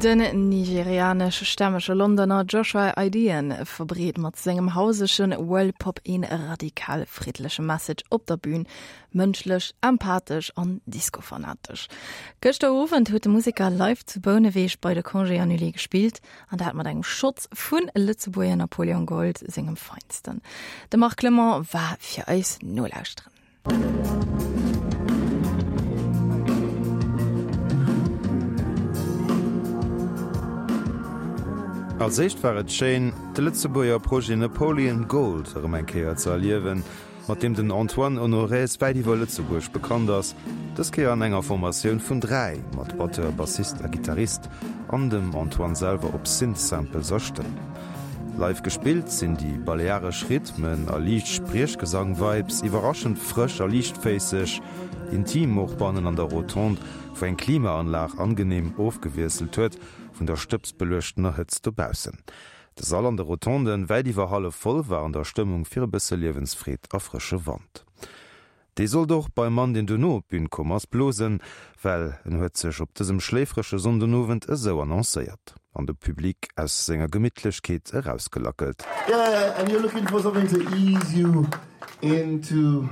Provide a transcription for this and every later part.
Den nigerianesch-stämmege Londoner Joshua Idehen verbreet mat sengem hausege World-Pop een radikal friddleche Message op der Bün, mënschlech, empathesch an discofanatesch. Gëschter Owend huet de Museker live zu Bouneweg bei de Congés Annulés gespillt, an dat mat engem Schotz vu Lëtzebuerger Napoleon Gold sengem Feinsten. De Marc Clement war fir eis nolauschteren. Als éischt war et schéin, de Lëtzebuerger Projet Napoleon Gold erëm eng Kéier ze erliewen, mat deem den Antoine Honorez wäit iwwer Lëtzebuerg bekannt ass, dës Kéier an enger Formatioun vun 3, mat Batteur, Bassist a Gittarist an dem Antoine selwer op Synth-Samples a Stëmm. Live gespillt sinn déi balearesch Rhythmen a liicht Spriechgesang-Vibes iwwerraschend frësch a liichtféisseg, intim och bannen an der Rotonde, wou eng Klimaanlag angeneem ofgewiesselt huet vun der stëbsbeluechtener Hëtzt dobaussen. De Sall an de Rotonden, wäit iwwer hallef voll, war an der Stëmmung fir e bësse Liewensfreed a frësche Wand. Dee sollt och beim Mann, deen duerno op d'Bün komm ass, blosen, well en huet sech op dësem schléifrege Sonndenowend esou annoncéiert an de Public aus senger Gemittlechkeet erausgelackelt. Yeah, and you're looking for something to ease you into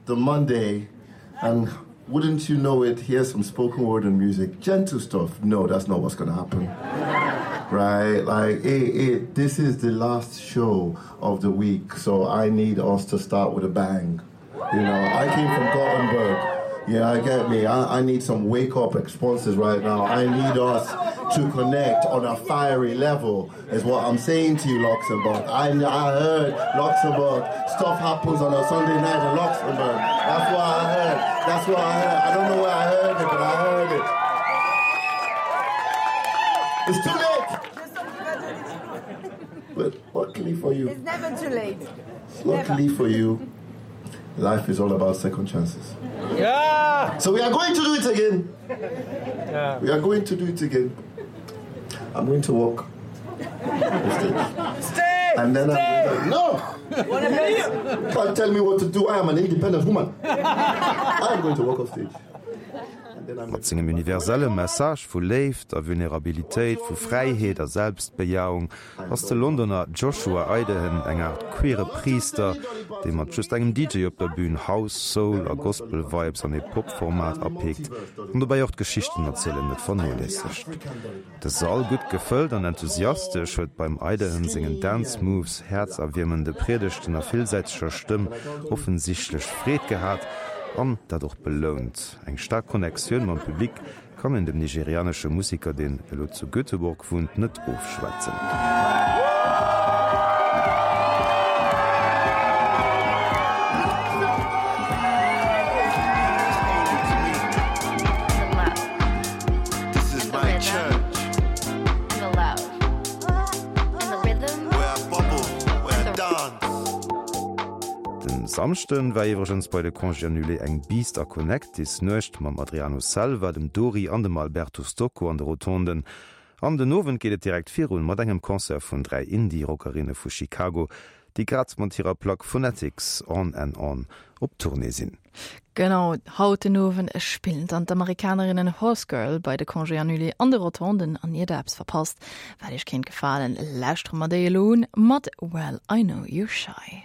the Monday and wouldn't you know it, here's some spoken word and music, gentle stuff. No, that's not what's gonna happen. Right? Like, it, it, this is the last show of the week, so I need us to start with a bang. You know, I came from Gothenburg. Yeah, I get me. I, I need some wake up responses right now. I need us to connect on a fiery level, is what I'm saying to you, Luxembourg. I, I heard Luxembourg. Stuff happens on a Sunday night in Luxembourg. That's what I heard. That's what I heard. I don't know where I heard it, but I heard it. It's too late. But luckily for you. It's never too late. Luckily for you, life is all about second chances. Yeah! So we are going to do it again. Yeah. We are going to do it again. I'm going to walk. Stay! And then Stay! I'm going to, no! Can't tell me what to do. I am an independent woman. I'm going to walk off stage. Mat sengem universelle Message vu Léift a Vulnerabilitéit, vu Fräiheet a Selbstbejahung ass de Londoner Joshua Idehen eng Aart queere Priister, dee mat just engem DJ op der Bün House, Soul a Gospel-Vibes an ee Pop-Format apeekt an dobäi och d'Geschichten-Erzielen net vernoléissegt. De Sall, gutt gefëllt an enthusiastesch, huet beim Idehen sengen Dance Moves, häerzerwiermende Priedegten a villsäiteger Stëmm offensichtlech Freed gehat an dat och belount. Eng staark Connectioun mam Public kann een dem nigerianesche Museker, deen elo zu Göteborg wunnt, net ofschwätzen. Den Samschden war iwwregens bei de Congés Annulés eng Beast a Connectis Nuecht mam Adriano Selva, dem Dori an dem Alberto Stocco an de Rotonden. An den Owend geet et direkt virun mat engem Concert vun 3 Indie-Rockerinne vu Chicago, déi grad mat hirer Plack Phonetics On and On op Tournée sinn. Genau, haut den Owend spillen dann d'Amerikanerinnen Horsegirl bei de Congés Annulés an de Rotonden. An ier der eppes verpasst, wat iech kéint gefalen, lauschtere mer déi elo un mat Well I Know You're Shy.